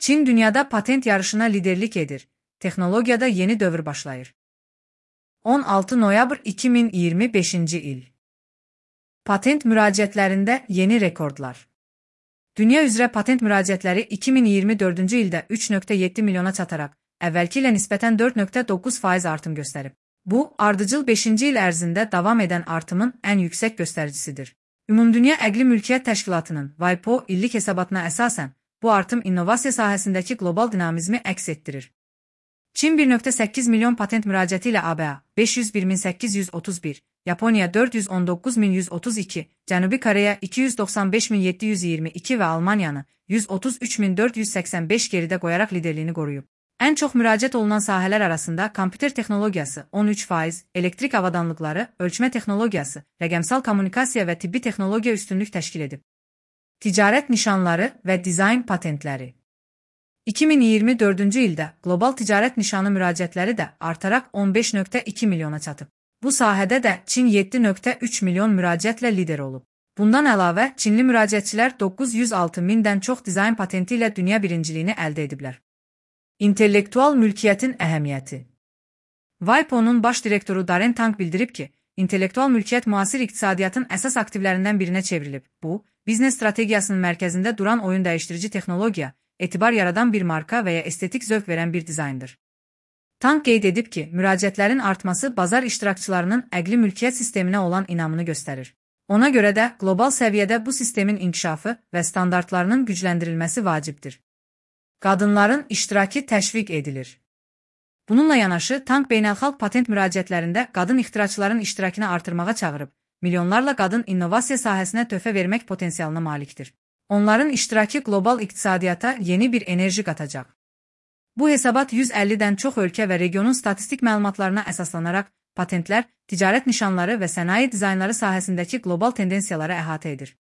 Çin dünyada patent yarışına liderlik edir. Texnologiyada yeni dövr başlayır. 16 noyabr 2025 il. Patent müraciətlərində yeni rekordlar. Dünya üzrə patent müraciətləri 2024-cü ildə 3,7 milyona çataraq, əvvəlki ilə nisbətən 4,9% artım göstərib. Bu, ardıcıl 5-ci il ərzində davam edən artımın ən yüksək göstəricisidir. Ümumdünya Əqli Mülkiyyət Təşkilatının WIPO illik hesabatına əsasən, bu artım innovasiya sahəsindəki qlobal dinamizmi əks etdirir. Çin 1,8 milyon patent müraciəti ilə ABA 501.831, Yaponiya 419.132, Cənubi Koreya 295.722 və Almaniyanı 133.485 geridə qoyaraq liderliyini qoruyub. Ən çox müraciət olunan sahələr arasında kompüter texnologiyası 13%, elektrik avadanlıqları, ölçmə texnologiyası, rəqəmsal kommunikasiya və tibbi texnologiya üstünlük təşkil edib. Ticarət nişanları və dizayn patentləri. 2024-cü ildə qlobal ticarət nişanı müraciətləri də artaraq 15,2 milyona çatıb. Bu sahədə də Çin 7,3 milyon müraciətlə lider olub. Bundan əlavə, Çinli müraciətçilər 906 mindən çox dizayn patenti ilə dünya birinciliyini əldə ediblər. İntellektual mülkiyyətin əhəmiyyəti. WIPO-nun baş direktoru Darren Tang bildirib ki, intellektual mülkiyyət müasir iqtisadiyyatın əsas aktivlərindən birinə çevrilib. Bu, biznes strategiyasının mərkəzində duran oyun dəyişdirici texnologiya, etibar yaradan bir marka və ya estetik zövq verən bir dizayndır. Tang qeyd edib ki, müraciətlərin artması bazar iştirakçılarının əqli mülkiyyət sisteminə olan inamını göstərir. Ona görə də qlobal səviyyədə bu sistemin inkişafı və standartlarının gücləndirilməsi vacibdir. Qadınların iştirakı təşviq edilir. Bununla yanaşı, Tang beynəlxalq patent müraciətlərində qadın ixtiraçıların iştirakını artırmağa çağırıb, milyonlarla qadın innovasiya sahəsinə töhfə vermək potensialına malikdir. Onların iştirakı qlobal iqtisadiyyata yeni bir enerji qatacaq. Bu hesabat 150-dən çox ölkə və regionun statistik məlumatlarına əsaslanaraq, patentlər, ticarət nişanları və sənaye dizaynları sahəsindəki qlobal tendensiyaları əhatə edir.